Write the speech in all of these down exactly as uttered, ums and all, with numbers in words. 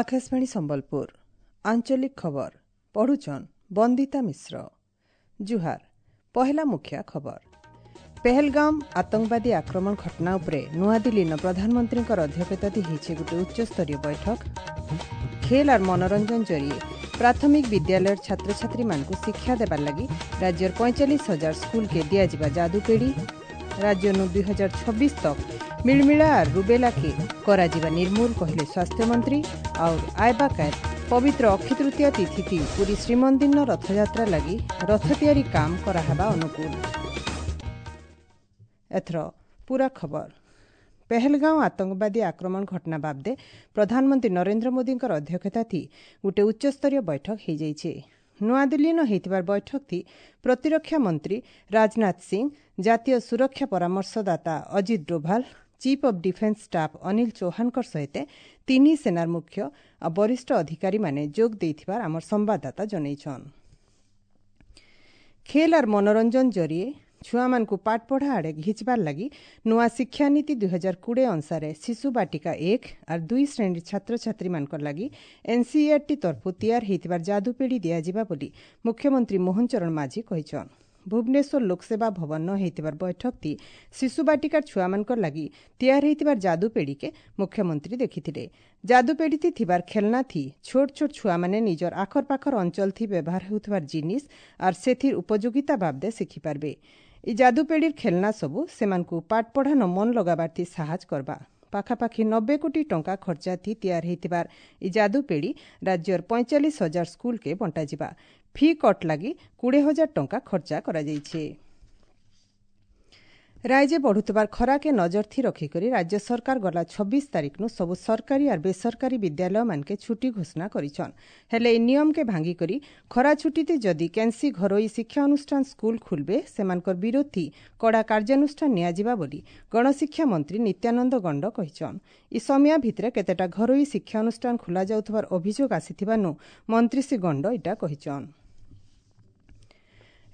ଆକାଶବାଣୀ ସମ୍ବଲପୁର ଆଞ୍ଚଳିକ ଖବର ପଢୁଛନ୍ ବନ୍ଦିତା ମିଶ୍ର ଜୁହାର ପହେଲା ମୁଖ୍ୟ ଖବର ପେହେଲଗାମ ଆତଙ୍କବାଦୀ ଆକ୍ରମଣ ଘଟଣା ଉପରେ ନୂଆଦିଲ୍ଲୀନ ପ୍ରଧାନମନ୍ତ୍ରୀଙ୍କର ଅଧ୍ୟକ୍ଷତାରେ ହେଇଛି ଗୋଟିଏ ଉଚ୍ଚସ୍ତରୀୟ ବୈଠକ ଖେଲ ଆର୍ ମନୋରଞ୍ଜନ ଜରିଏ ପ୍ରାଥମିକ ବିଦ୍ୟାଳୟର ଛାତ୍ରଛାତ୍ରୀମାନଙ୍କୁ ଶିକ୍ଷା ଦେବାର ଲାଗି ରାଜ୍ୟର ପଇଁଚାଳିଶ ହଜାର ସ୍କୁଲକେ ଦିଆଯିବା ଯାଦୁପେଡ଼ି ରାଜ୍ୟନୁ ଦୁଇ ହଜାର ଛବିଶ ତକ ମିଳମିଳା ଆର୍ ରୁବେଲାକେ କରାଯିବା ନିର୍ମୂଳ କହିଲେ ସ୍ୱାସ୍ଥ୍ୟମନ୍ତ୍ରୀ ଆଉ ଆଇବା କାଏଲ ପବିତ୍ର ଅକ୍ଷୟ ତୃତୀୟା ତିଥି ପୁରୀ ଶ୍ରୀମନ୍ଦିରର ରଥଯାତ୍ରା ଲାଗି ରଥ ତିଆରି କାମ କରାହେବା ଅନୁକୂଳ ଏଥର ପୂରା ଖବର ପେହେଲଗାଁव ଆତଙ୍କବାଦୀ ଆକ୍ରମଣ ଘଟଣା ବାବଦେ ପ୍ରଧାନମନ୍ତ୍ରୀ ନରେନ୍ଦ୍ର ମୋଦିଙ୍କର ଅଧ୍ୟକ୍ଷତାଥି ଗୋଟିଏ ଉଚ୍ଚସ୍ତରୀୟ ବୈଠକ ହୋଇଯାଇଛି ନୂଆଦିଲ୍ଲୀନ ହୋଇଥିବାର ବୈଠକଥି ପ୍ରତିରକ୍ଷା ମନ୍ତ୍ରୀ ରାଜନାଥ ସିଂ ଜାତୀୟ ସୁରକ୍ଷା ପରାମର୍ଶଦାତା Ajit Doval chief of defence staff Anil ଚୌହାନଙ୍କ ସହିତ ତିନି ସେନାର ମୁଖ୍ୟ ଆଉ ବରିଷ୍ଠ ଅଧିକାରୀମାନେ ଯୋଗ ଦେଇଥିବାର ଆମର ସମ୍ବାଦଦାତା ଜଣାଇଛନ୍ ଖେଲ ଆର୍ ମନୋରଞ୍ଜନ ଜରିଏ ଛୁଆମାନଙ୍କୁ ପାଠପଢ଼ା ଆଡ଼େ ଘିଚବାର ଲାଗି ନୂଆ ଶିକ୍ଷାନୀତି ଦୁଇ ହଜାର କୋଡ଼ିଏ ଅନୁସାରେ ଶିଶୁ ବାଟିକା ଏକ ଆର୍ ଦୁଇ ଶ୍ରେଣୀର ଛାତ୍ରଛାତ୍ରୀମାନଙ୍କ ଲାଗି ଏନ୍ସିଇଆର୍ଟି ତରଫରୁ ତିଆର ହୋଇଥିବାର ଯାଦୁପେଡ଼ି ଦିଆଯିବା ବୋଲି ମୁଖ୍ୟମନ୍ତ୍ରୀ ମୋହନ ଚରଣ ମାଝୀ କହିଛନ୍ ଭୁବନେଶ୍ୱର ଲୋକସେବା ଭବନ ହୋଇଥିବାର ବୈଠକଟି ଶିଶୁ ବାଟିକାର ଛୁଆମାନଙ୍କ ଲାଗି ତିଆର ହୋଇଥିବାର ଯାଦୁପେଡ଼ିକେ ମୁଖ୍ୟମନ୍ତ୍ରୀ ଦେଖିଥିଲେ ଯାଦୁପେଡ଼ିଥି ଥିବାର ଖେଳନା ଥି ଛୋଟ ଛୋଟ ଛୁଆମାନେ ନିଜର ଆଖର ପାଖର ଅଞ୍ଚଳ ଥି ବ୍ୟବହାର ହେଉଥିବାର ଜିନିଷ ଆର୍ ସେଥିର ଉପଯୋଗିତା ବାବଦେ ଶିଖିପାରିବେ ଇ ଯାଦୁପେଡ଼ିର ଖେଳନା ସବୁ ସେମାନଙ୍କୁ ପାଠପଢ଼ାନ ମନ ଲଗାବାର ଥି ସାହାଯ୍ୟ କରବା ପାଖାପାଖି ନବେ କୋଟି ଟଙ୍କା ଖର୍ଚ୍ଚା ଥି ତିଆର ହୋଇଥିବାର ଇ ଯାଦୁପେଡ଼ି ରାଜ୍ୟର ପଇଁଚାଳିଶ ହଜାର ସ୍କୁଲକେ ବଣ୍ଟାଯିବା ଫି କଟ୍ ଲାଗି କୋଡ଼ିଏ ହଜାର ଟଙ୍କା ଖର୍ଚ୍ଚା କରାଯାଇଛି ରାଜ୍ୟ ବଢୁଥିବାର ଖରାକେ ନଜର ଥି ରଖିକରି ରାଜ୍ୟ ସରକାର ଗଲା ଛବିଶ ତାରିଖନୁ ସବୁ ସରକାରୀ ଆର୍ ବେସରକାରୀ ବିଦ୍ୟାଳୟମାନକେ ଛୁଟି ଘୋଷଣା କରିଛନ୍ ହେଲେ ଏହି ନିୟମକେ ଭାଙ୍ଗିକରି ଖରା ଛୁଟିତେ ଯଦି କେନ୍ସି ଘରୋଇ ଶିକ୍ଷା ଅନୁଷ୍ଠାନ ସ୍କୁଲ ଖୁଲବେ ସେମାନଙ୍କର ବିରୋଧୀ କଡ଼ା କାର୍ଯ୍ୟାନୁଷ୍ଠାନ ନିଆଯିବା ବୋଲି ଗଣଶିକ୍ଷା ମନ୍ତ୍ରୀ ନିତ୍ୟାନନ୍ଦ ଗଣ୍ଡ କହିଛନ୍ ଇ ସମିଆ ଭିତରେ କେତେଟା ଘରୋଇ ଶିକ୍ଷା ଅନୁଷ୍ଠାନ ଖୋଲା ଯାଉଥିବାର ଅଭିଯୋଗ ଆସିଥିବାନୁ ମନ୍ତ୍ରୀ ଶ୍ରୀ ଗଣ୍ଡ ଇଟା କହିଛନ୍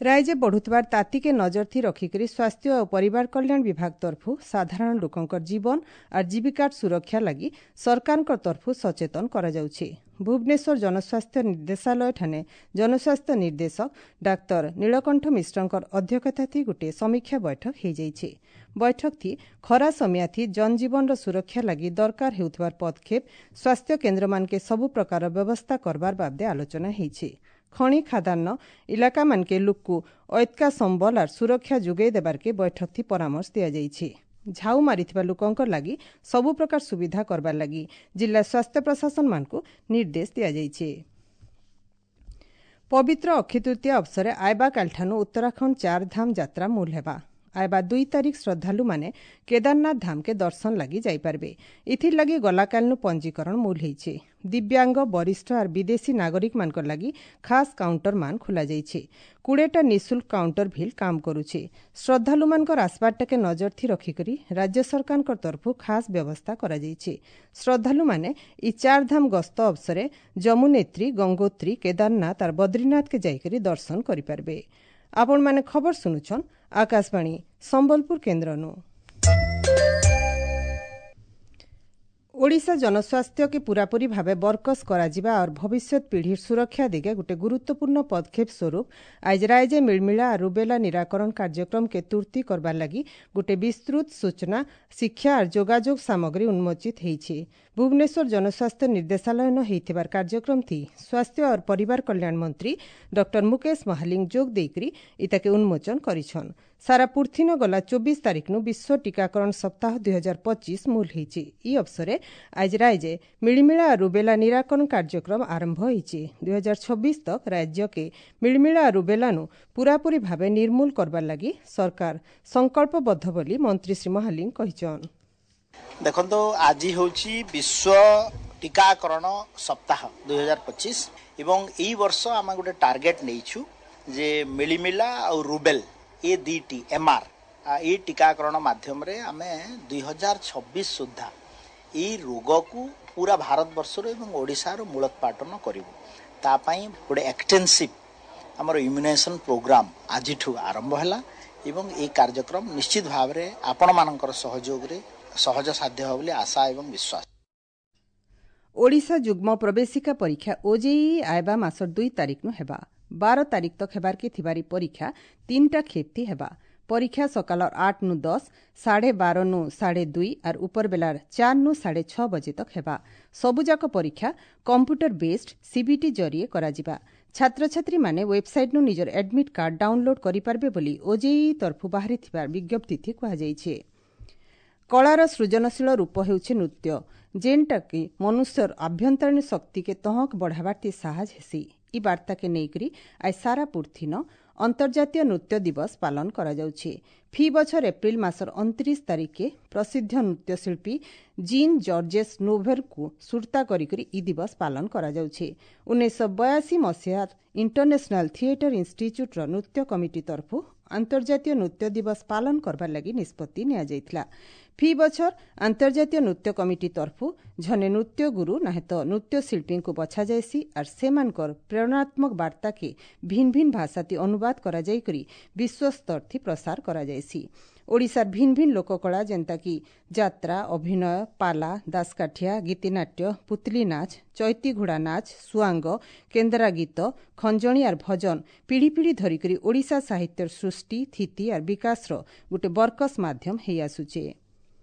ରାଜ୍ୟ ବଢୁଥିବାର ତାତିକେ ନଜର ଥି ରଖିକରି ସ୍ୱାସ୍ଥ୍ୟ ଓ ପରିବାର କଲ୍ୟାଣ ବିଭାଗ ତରଫରୁ ସାଧାରଣ ଲୋକଙ୍କର ଜୀବନ ଆର୍ ଜୀବିକାର ସୁରକ୍ଷା ଲାଗି ସରକାରଙ୍କ ତରଫରୁ ସଚେତନ କରାଯାଉଛି ଭୁବନେଶ୍ୱର ଜନସ୍ୱାସ୍ଥ୍ୟ ନିର୍ଦ୍ଦେଶାଳୟ ଠାନେ ଜନସ୍ୱାସ୍ଥ୍ୟ ନିର୍ଦ୍ଦେଶକ ଡାକ୍ତର ନୀଳକଣ୍ଠ ମିଶ୍ରଙ୍କର ଅଧ୍ୟକ୍ଷତାଥି ଗୋଟିଏ ସମୀକ୍ଷା ବୈଠକ ହୋଇଯାଇଛି ବୈଠକଥି ଖରା ସମିଆଥି ଜନଜୀବନର ସୁରକ୍ଷା ଲାଗି ଦରକାର ହେଉଥିବାର ପଦକ୍ଷେପ ସ୍ୱାସ୍ଥ୍ୟ କେନ୍ଦ୍ରମାନକେ ସବୁ ପ୍ରକାର ବ୍ୟବସ୍ଥା କରବାର ବାବଦେ ଆଲୋଚନା ହୋଇଛି ଖଣି ଖାଦାନ ଇଲାକାମାନକେ ଲୁକ୍କୁ ଐତ୍କା ସମ୍ବଲ ଆର୍ ସୁରକ୍ଷା ଯୋଗାଇ ଦେବାର୍କେ ବୈଠକଥି ପରାମର୍ଶ ଦିଆଯାଇଛି ଝାଉ ମାରିଥିବା ଲୋକଙ୍କ ଲାଗି ସବୁ ପ୍ରକାର ସୁବିଧା କରବାର ଲାଗି ଜିଲ୍ଲା ସ୍ୱାସ୍ଥ୍ୟ ପ୍ରଶାସନମାନଙ୍କୁ ନିର୍ଦ୍ଦେଶ ଦିଆଯାଇଛି ପବିତ୍ର ଅକ୍ଷୟ ତୃତୀୟା ଅବସରେ ଆଇବା କାଲିଠାନୁ ଉତ୍ତରାଖଣ୍ଡ ଚାରଧାମ ଯାତ୍ରା ମୂଲ ହେବା ଆଇବା ଦୁଇ ତାରିଖ ଶ୍ରଦ୍ଧାଳୁମାନେ କେଦାରନାଥ ଧାମକେ ଦର୍ଶନ ଲାଗି ଯାଇପାରିବେ ଏଥିର୍ ଲାଗି ଗଲାକାଲିନୁ ପଞ୍ଜୀକରଣ ମୂଲ ହେଇଛି ଦିବ୍ୟାଙ୍ଗ ବରିଷ୍ଠ ଆର୍ ବିଦେଶୀ ନାଗରିକମାନଙ୍କ ଲାଗି ଖାସ୍ କାଉଣ୍ଟର ମାନ ଖୋଲାଯାଇଛି କୋଡ଼ିଏଟା ନିଃଶୁଳ୍କ କାଉଣ୍ଟର ଭିଲ୍ କାମ କରୁଛି ଶ୍ରଦ୍ଧାଳୁମାନଙ୍କର ଆସବାରଟାକେ ନଜର ଥି ରଖିକରି ରାଜ୍ୟ ସରକାରଙ୍କ ତରଫରୁ ଖାସ୍ ବ୍ୟବସ୍ଥା କରାଯାଇଛି ଶ୍ରଦ୍ଧାଳୁମାନେ ଇ ଚାରଧାମ ଗସ୍ତ ଅବସରେ ଯମୁନେତ୍ରୀ ଗଙ୍ଗୋତ୍ରୀ କେଦାରନାଥ ଆର୍ ବଦ୍ରୀନାଥକେ ଯାଇକରି ଦର୍ଶନ କରିପାରିବେ ଆପଣମାନେ ଖବର ଶୁଣୁଛନ୍ ଆକାଶବାଣୀ ସମ୍ବଲପୁର କେନ୍ଦ୍ରନୁ ଓଡ଼ିଶା ଜନସ୍ୱାସ୍ଥ୍ୟକେ ପୂରାପୂରି ଭାବେ ବରକସ କରାଯିବା और ଭବିଷ୍ୟତ ପିଢ଼ିର ସୁରକ୍ଷା ଦିଗେ ଗୋଟେ ଗୁରୁତ୍ୱପୂର୍ଣ୍ଣ ପଦକ୍ଷେପ ସ୍ୱରୂପ ଆଜ ରାଜ୍ୟ ମିଳମିଳା ଆର୍ ରୁବେଲା ନିରାକରଣ କାର୍ଯ୍ୟକ୍ରମକେ ତୁର୍ତି କରବାର ଲାଗି ଗୋଟେ ବିସ୍ତୃତ ସୂଚନା ଶିକ୍ଷା ଆର୍ ଯୋଗାଯୋଗ ସାମଗ୍ରୀ ଉନ୍ମୋଚିତ ହେଇଛି ଭୁବନେଶ୍ୱର ଜନସ୍ୱାସ୍ଥ୍ୟ ନିର୍ଦ୍ଦେଶାଳୟନ ହେଇଥିବାର କାର୍ଯ୍ୟକ୍ରମଥି ସ୍ୱାସ୍ଥ୍ୟ और ପରିବାର କଲ୍ୟାଣ ମନ୍ତ୍ରୀ ଡକ୍ଟର ମୁକେଶ ମହାଲିଙ୍ଗ ଯୋଗ ଦେଇକରି ଇତାକେ ଉନ୍ମୋଚନ କରିଛନ୍ ସାରା ପୃଥିନ ଗଲା ଚବିଶ ତାରିଖନୁ ବିଶ୍ୱ ଟିକାକରଣ ସପ୍ତାହ ଦୁଇ ହଜାର ପଚିଶ ମୂଲ ହେଇଛି ଇ ଅବସରେ ଆଜ ରାଜ୍ୟ ମିଳିମିଳା ରୁବେଲା ନିରାକରଣ କାର୍ଯ୍ୟକ୍ରମ ଆରମ୍ଭ ହୋଇଛି ଦୁଇ ହଜାର ଛବିଶ ତକ ରାଜ୍ୟକେ ମିଳିମିଳା ରୁବେଲାନୁ ପୂରାପୂରି ଭାବେ ନିର୍ମୂଳ କରବାର ଲାଗି ସରକାର ସଂକଳ୍ପବଦ୍ଧ ବୋଲି ମନ୍ତ୍ରୀ ଶ୍ରୀ ମହାଲିଙ୍ଗ କହିଛନ୍ ଦେଖନ୍ତୁ ଆଜି ହେଉଛି ବିଶ୍ୱ ଟିକାକରଣ ସପ୍ତାହ ଦୁଇ ହଜାର ପଚିଶ ଏବଂ ଏଇ ବର୍ଷ ଆମେ ଗୋଟେ ଟାର୍ଗେଟ୍ ନେଇଛୁ ଯେ ମିଳିମିଳା ଆଉ ରୁବେଲ ଏ ଦୁଇଟି ଏମ୍ ଆର୍ ଏଇ ଟିକାକରଣ ମାଧ୍ୟମରେ ଆମେ ଦୁଇ ହଜାର ଛବିଶ ସୁଦ୍ଧା ଏଇ ରୋଗକୁ ପୁରା ଭାରତବର୍ଷରୁ ଏବଂ ଓଡ଼ିଶାରୁ ମୂଳୋତ୍ପାଟନ କରିବୁ ତା ପାଇଁ ଗୋଟେ ଏକ୍ସଟେନ୍ସିଭ୍ ଆମର ଇମ୍ୟୁନାଇଜେସନ୍ ପ୍ରୋଗ୍ରାମ ଆଜିଠୁ ଆରମ୍ଭ ହେଲା ଏବଂ ଏଇ କାର୍ଯ୍ୟକ୍ରମ ନିଶ୍ଚିତ ଭାବରେ ଆପଣମାନଙ୍କର ସହଯୋଗରେ ସହଜ ସାଧ୍ୟ ହେବ ବୋଲି ଆଶା ଏବଂ ବିଶ୍ୱାସ ଓଡ଼ିଶା ଯୁଗ୍ମ ପ୍ରବେଶିକା ପରୀକ୍ଷା ଓଜେଇଇ ଆଇବା ମାସର ଦୁଇ ତାରିଖନୁ ହେବା। ବାର ତାରିଖ ତକ୍ ହେବାର୍କେ ଥିବାରି ପରୀକ୍ଷା ତିନିଟା ଖେପ୍ତି ହେବା। ପରୀକ୍ଷା ସକାଳର ଆଠ ନୁ ଦଶ, ସାଢ଼େ ବାର ନୁ ସାଢ଼େ ଦୁଇ ଆର୍ ଉପର ବେଲାର ଚାର ନୁ ସାଢ଼େ ଛଅ ବଜେ ତକ୍ ହେବା। ସବୁଯାକ ପରୀକ୍ଷା କମ୍ପ୍ୟୁଟର ବେସ୍ଡ ସିବିଟି ଜରିଏ କରାଯିବା। ଛାତ୍ରଛାତ୍ରୀମାନେ ୱେବସାଇଟ୍ନୁ ନିଜର ଆଡମିଟ୍ କାର୍ଡ ଡାଉନଲୋଡ୍ କରିପାରିବେ ବୋଲି ଓଜେଇଇ ତରଫୁ ବାହାରିଥିବା ବିଜ୍ଞପ୍ତିଥି କୁହାଯାଇଛି। କଳାର ସୃଜନଶୀଳ ରୂପ ହେଉଛି ନୃତ୍ୟ, ଯେନ୍ଟାକି ମନୁଷ୍ୟର ଆଭ୍ୟନ୍ତରୀଣ ଶକ୍ତିକେ ତହଁକ ବଢ଼ାବାର୍ତି ସାହାଯ୍ୟ ହେସି। ଇ ବାର୍ତ୍ତାକେ ନେଇକରି ଆজ ସାରା ପୃଥିନ ଅନ୍ତର୍ଜାତୀୟ ନୃତ୍ୟ ଦିବସ ପାଳନ କରାଯାଉଛି। ଫି ବଛର ଏପ୍ରିଲ ମାସର ଅଣତିରିଶ ତାରିଖେ ପ୍ରସିଦ୍ଧ ନୃତ୍ୟଶିଳ୍ପୀ ଜିନ୍ ଜର୍ଜେସ୍ ନୋଭେରଙ୍କୁ ସୁର୍ତ୍ତା କରିକରି ଇ ଦିବସ ପାଳନ କରାଯାଉଛି। ଉଣେଇଶହ ବୟାଅଶୀ ମସିହାର ଇଣ୍ଟରନ୍ୟାସନାଲ ଥିଏଟର ଇନ୍ଷ୍ଟିଚ୍ୟୁଟ୍ର ନୃତ୍ୟ କମିଟି ତରଫୁ ଆନ୍ତର୍ଜାତୀୟ ନୃତ୍ୟ ଦିବସ ପାଳନ କରବାର ଲାଗି ନିଷ୍ପତ୍ତି ନିଆଯାଇଥିଲା। ଫି ବଛର ଆନ୍ତର୍ଜାତୀୟ ନୃତ୍ୟ କମିଟି ତରଫୁ ଝନେ ନୃତ୍ୟ ଗୁରୁ ନାହେଁ ତ ନୃତ୍ୟଶିଳ୍ପୀଙ୍କୁ ବଛାଯାଏସି ଆର୍ ସେମାନଙ୍କର ପ୍ରେରଣାତ୍ମକ ବାର୍ତ୍ତାକେ ଭିନ୍ ଭିନ୍ ଭାଷାତି ଅନୁବାଦ କରାଯାଇକରି ବିଶ୍ୱସ୍ତରଥି ପ୍ରସାର କରାଯାଏସି। ଓଡ଼ିଶାର ଭିନ୍ ଭିନ୍ ଲୋକକଳା ଯେନ୍ତାକି ଯାତ୍ରା, ଅଭିନୟ, ପାଲା, ଦାସକାଠିଆ, ଗୀତିନାଟ୍ୟ, ପୁତଲି ନାଚ, ଚୈତି ଘୋଡ଼ା ନାଚ, ସୁଆଙ୍ଗ, କେନ୍ଦ୍ରା ଗୀତ, ଖଞ୍ଜଣି ଆର୍ ଭଜନ ପିଢ଼ି ପିଢ଼ି ଧରିକରି ଓଡ଼ିଶା ସାହିତ୍ୟର ସୃଷ୍ଟି, ଥିତି ଆର୍ ବିକାଶର ଗୋଟେ ବରକସ ମାଧ୍ୟମ ହେଇ ଆସୁଛେ।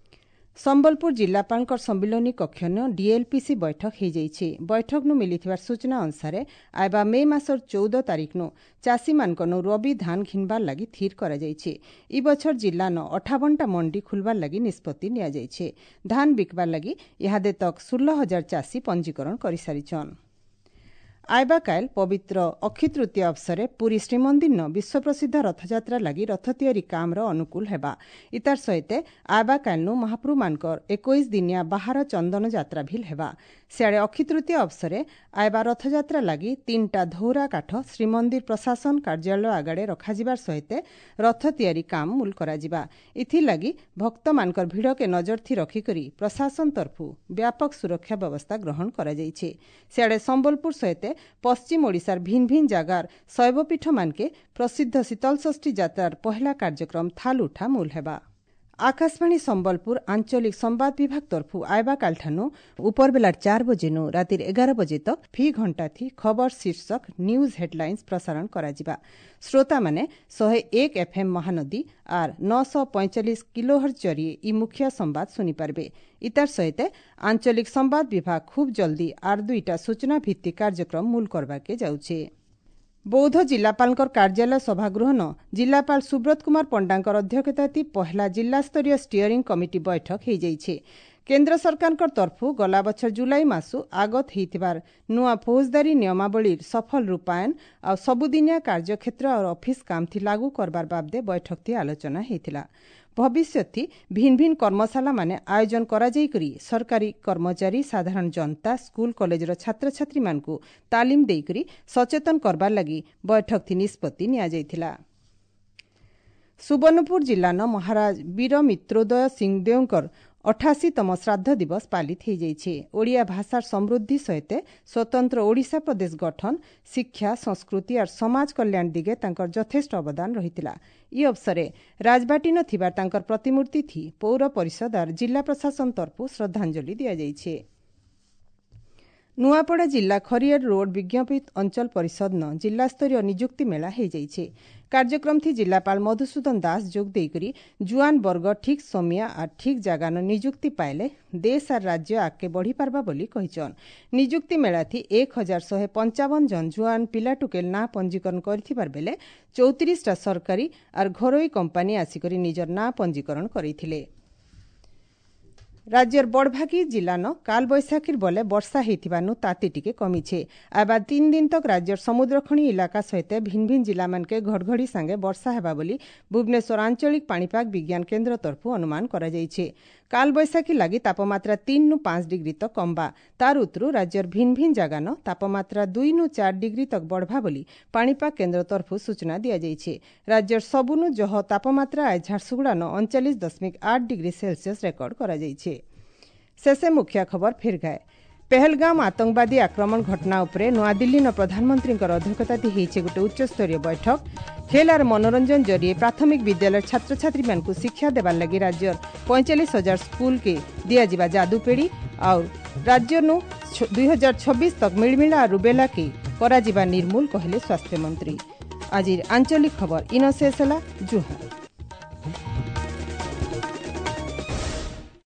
ସମ୍ବଲପୁର ଜିଲ୍ଲାପାଳଙ୍କର ସମ୍ମିଳନୀ କକ୍ଷନ ଡିଏଲ୍ପିସି ବୈଠକ ହୋଇଯାଇଛି। ବୈଠକନୁ ମିଳିଥିବା ସୂଚନା ଅନୁସାରେ ଆଇବା ମେ ମାସର ଚଉଦ ତାରିଖନୁ ଚାଷୀମାନଙ୍କନୁ ରବି ଧାନ ଘିନବାର ଲାଗି ଥିର କରାଯାଇଛି। ଇ ବଛର ଜିଲ୍ଲାନ ଅଠାବନଟା ମଣ୍ଡି ଖୁଲବାର ଲାଗି ନିଷ୍ପତ୍ତି ନିଆଯାଇଛି। ଧାନ ବିକବାର ଲାଗି ଇହାଦେ ତକ୍ ଷୋହଳ ହଜାର ଚାଷୀ ପଞ୍ଜୀକରଣ କରିସାରିଛନ୍। ଆଇବା କାଏଲ୍ ପବିତ୍ର ଅକ୍ଷି ତୃତୀୟା ଅବସରେ ପୁରୀ ଶ୍ରୀମନ୍ଦିରନ ବିଶ୍ୱପ୍ରସିଦ୍ଧ ରଥଯାତ୍ରା ଲାଗି ରଥ ତିଆରି କାମର ଅନୁକୂଳ ହେବା। ଇତାର ସହିତ ଆଇବା କାଏଲ୍ନୁ ମହାପ୍ରଭୁମାନଙ୍କର ଏକୋଇଶ ଦିନିଆ ବାହାର ଚନ୍ଦନ ଯାତ୍ରା ଭିଲ୍ ହେବା। ସିଆଡ଼େ ଅକ୍ଷି ତୃତୀୟା ଅବସରେ ଆଇବା ରଥଯାତ୍ରା ଲାଗି ତିନିଟା ଧଉରା କାଠ ଶ୍ରୀମନ୍ଦିର ପ୍ରଶାସନ କାର୍ଯ୍ୟାଳୟ ଆଗରେ ରଖାଯିବାର ସହିତ ରଥ ତିଆରି କାମ ମୂଲ କରାଯିବା। ଏଥିଲାଗି ଭକ୍ତମାନଙ୍କର ଭିଡ଼କେ ନଜରଥି ରଖିକରି ପ୍ରଶାସନ ତରଫୁ ବ୍ୟାପକ ସୁରକ୍ଷା ବ୍ୟବସ୍ଥା ଗ୍ରହଣ କରାଯାଇଛି। ସିଆଡ଼େ ସମ୍ବଲପୁର ସହିତ ପଶ୍ଚିମ ଓଡ଼ିଶାର ଭିନ୍ ଭିନ୍ ଜାଗାର ଶୈବପୀଠମାନକେ ପ୍ରସିଦ୍ଧ ଶୀତଳଷଷ୍ଠୀ ଯାତ୍ରାର ପହେଲା କାର୍ଯ୍ୟକ୍ରମ ଥାଲ ଉଠା ମୂଲ ହେବା। ଆକାଶବାଣୀ ସମ୍ବଲପୁର ଆଞ୍ଚଳିକ ସମ୍ବାଦ ବିଭାଗ ତରଫୁ ଆଇବା କାଲଠାନୁ ଉପର ବେଲାର ଚାର ବଜେନୁ ରାତିର ଏଗାର ବଜେ ତକ ଫି ଘଣ୍ଟା ଥି ଖବର ଶୀର୍ଷକ ନ୍ୟୁଜ୍ ହେଡଲାଇନ୍ସ ପ୍ରସାରଣ କରାଯିବା। ଶ୍ରୋତାମାନେ ଶହେ ଏକ ଏଫ୍ଏମ୍ ମହାନଦୀ ଆର୍ ନଅଶହ ପଇଁଚାଳିଶ କିଲୋହର୍ଜ ଜରିଏ ଇ ମୁଖିଆ ସମ୍ବାଦ ଶୁଣିପାରିବେ। ଇତାର ସହିତ ଆଞ୍ଚଳିକ ସମ୍ବାଦ ବିଭାଗ ଖୁବ୍ ଜଲ୍ଦି ଆର୍ ଦୁଇଟା ସୂଚନା ଭିତ୍ତିକ କାର୍ଯ୍ୟକ୍ରମ ମୂଲ କରବାକେ ଯାଉଛେ। ବୌଦ୍ଧ ଜିଲ୍ଲାପାଳଙ୍କର କାର୍ଯ୍ୟାଳୟ ସଭାଗୃହନ ଜିଲ୍ଲାପାଳ ସୁବ୍ରତ କୁମାର ପଣ୍ଡାଙ୍କର ଅଧ୍ୟକ୍ଷତାତି ପହେଲା ଜିଲ୍ଲାସ୍ତରୀୟ ଷ୍ଟିଅରିଂ କମିଟି ବୈଠକ ହୋଇଯାଇଛି। କେନ୍ଦ୍ର ସରକାରଙ୍କ ତରଫୁ ଗଲା ବଛର ଜୁଲାଇ ମାସୁ ଆଗତ ହୋଇଥିବାର ନୂଆ ଫୌଜଦାରୀ ନିୟମାବଳୀର ସଫଳ ରୂପାୟନ ଆଉ ସବୁଦିନିଆ କାର୍ଯ୍ୟକ୍ଷେତ୍ର ଆଉ ଅଫିସ କାମଥି ଲାଗୁ କରବାର ବାବଦେ ବୈଠକଥି ଆଲୋଚନା ହୋଇଥିଲା। ଭବିଷ୍ୟତଥି ଭିନ୍ ଭିନ୍ କର୍ମଶାଳାମାନେ ଆୟୋଜନ କରାଯାଇକରି ସରକାରୀ କର୍ମଚାରୀ, ସାଧାରଣ ଜନତା, ସ୍କୁଲ କଲେଜର ଛାତ୍ରଛାତ୍ରୀମାନଙ୍କୁ ତାଲିମ ଦେଇକରି ସଚେତନ କରବାର ଲାଗି ବୈଠକଥି ନିଷ୍ପତ୍ତି ନିଆଯାଇଥିଲା। ସୁବର୍ଣ୍ଣପୁର ଜିଲ୍ଲାନ ମହାରାଜ ବୀର ମିତ୍ରୋଦୟ ସିଂଦେଓଙ୍କର ଅଠାଅଶୀତମ ଶ୍ରାଦ୍ଧ ଦିବସ ପାଳିତ ହୋଇଯାଇଛି। ଓଡ଼ିଆ ଭାଷାର ସମୃଦ୍ଧି ସହିତ ସ୍ୱତନ୍ତ୍ର ଓଡ଼ିଶା ପ୍ରଦେଶ ଗଠନ, ଶିକ୍ଷା, ସଂସ୍କୃତି ଆର୍ ସମାଜ କଲ୍ୟାଣ ଦିଗେ ତାଙ୍କର ଯଥେଷ୍ଟ ଅବଦାନ ରହିଥିଲା। ଇ ଅବସରେ ରାଜବାଟୀନ ଥିବା ତାଙ୍କର ପ୍ରତିମୂର୍ତ୍ତି ଥି ପୌର ପରିଷଦ ଆର୍ ଜିଲ୍ଲା ପ୍ରଶାସନ ତରଫୁ ଶ୍ରଦ୍ଧାଞ୍ଜଳି ଦିଆଯାଇଛି। ନୂଆପଡ଼ା ଜିଲ୍ଲା ଖରିଆର ରୋଡ୍ ବିଜ୍ଞାପିତ ଅଞ୍ଚଳ ପରିଷଦନ ଜିଲ୍ଲାସ୍ତରୀୟ ନିଯୁକ୍ତି ମେଳା ହୋଇଯାଇଛି। କାର୍ଯ୍ୟକ୍ରମଥି ଜିଲ୍ଲାପାଳ ମଧୁସୂଦନ ଦାସ ଯୋଗ ଦେଇକରି ଜୁଆନ ବର୍ଗ ଠିକ୍ ସମିଆ ଆର୍ ଠିକ୍ ଜାଗାନ ନିଯୁକ୍ତି ପାଇଲେ ଦେଶ ଆର୍ ରାଜ୍ୟ ଆଗକେ ବଢ଼ିପାରବା ବୋଲି କହିଛନ୍। ନିଯୁକ୍ତି ମେଳାଥି ଏକ ହଜାର ଶହେ ପଞ୍ଚାବନ ଜଣ ଜୁଆନ ପିଲାଟୁକେଲ ନାଁ ପଞ୍ଜୀକରଣ କରିଥିବାର ବେଲେ ଚଉତିରିଶଟା ସରକାରୀ ଆର୍ ଘରୋଇ କମ୍ପାନୀ ଆସିକରି ନିଜର ନାଁ ପଞ୍ଜୀକରଣ କରିଥିଲେ। ରାଜ୍ୟର ବଡ଼ଭାଗୀ ଜିଲ୍ଲାନ କାଲବୈଶାଖୀର ବଲେ ବର୍ଷା ହେଇଥିବାନୁ ତାତି ଟିକେ କମିଛେ। ଆଇବା ତିନ୍ ଦିନ ତକ୍ ରାଜ୍ୟର ସମୁଦ୍ରଖଣି ଇଲାକା ସହିତ ଭିନ୍ ଭିନ୍ ଜିଲ୍ଲାମାନକେ ଘଡ଼ଘଡ଼ି ସାଙ୍ଗେ ବର୍ଷା ହେବା ବୋଲି ଭୁବନେଶ୍ୱର ଆଞ୍ଚଳିକ ପାଣିପାଗ ବିଜ୍ଞାନ କେନ୍ଦ୍ର ତରଫୁ ଅନୁମାନ କରାଯାଇଛି। କାଲବୈଶାଖୀ ଲାଗି ତାପମାତ୍ରା ତିନ୍ ନୁ ପାଞ୍ଚ ଡିଗ୍ରୀ ତକ୍ କମ୍ବା। ତାର ଉତରୁ ରାଜ୍ୟର ଭିନ୍ ଭିନ୍ ଜାଗାନ ତାପମାତ୍ରା ଦୁଇ ନୁ ଚାରି ଡିଗ୍ରୀ ତକ୍ ବଢ଼ବା ବୋଲି ପାଣିପାଗ କେନ୍ଦ୍ର ତରଫୁ ସୂଚନା ଦିଆଯାଇଛି। ରାଜ୍ୟର ସବୁନୁ ଜହ ତାପମାତ୍ରା ଆଜ ଝାରସୁଗୁଡ଼ାନ ଅଣଚାଳିଶ ଦଶମିକ ଆଠ ଡିଗ୍ରୀ ସେଲସିୟସ୍ ରେକର୍ଡ କରାଯାଇଛି। ଶେଷେ ମୁଖ୍ୟ ଖବର ଫିର୍ ଗାଏ। ପେହଲଗାମ ଆତଙ୍କବାଦୀ ଆକ୍ରମଣ ଘଟଣା ଉପରେ ନୂଆଦିଲ୍ଲୀନ ପ୍ରଧାନମନ୍ତ୍ରୀଙ୍କର ଅଧ୍ୟକ୍ଷତାରେ ହେଇଛେ ଗୋଟେ ଉଚ୍ଚସ୍ତରୀୟ ବୈଠକ। ଖେଲ ଆର୍ ମନୋରଞ୍ଜନ ଜରିଏ ପ୍ରାଥମିକ ବିଦ୍ୟାଳୟ ଛାତ୍ରଛାତ୍ରୀମାନଙ୍କୁ ଶିକ୍ଷା ଦେବାର ଲାଗି ରାଜ୍ୟର ପଇଁଚାଳିଶ ହଜାର ସ୍କୁଲକେ ଦିଆଯିବା ଯାଦୁପେଡ଼ି। ଆଉ ରାଜ୍ୟନୁ ଦୁଇ ହଜାର ଛବିଶ ତକ ମିଳିମିଳା ରୁବେଲାକେ କରାଯିବା ନିର୍ମୂଳ କହିଲେ ସ୍ୱାସ୍ଥ୍ୟମନ୍ତ୍ରୀ। ଆଜିର ଆଞ୍ଚଳିକ ଖବର ଇନ ଶେଷ ହେଲା। ଜୁହାର।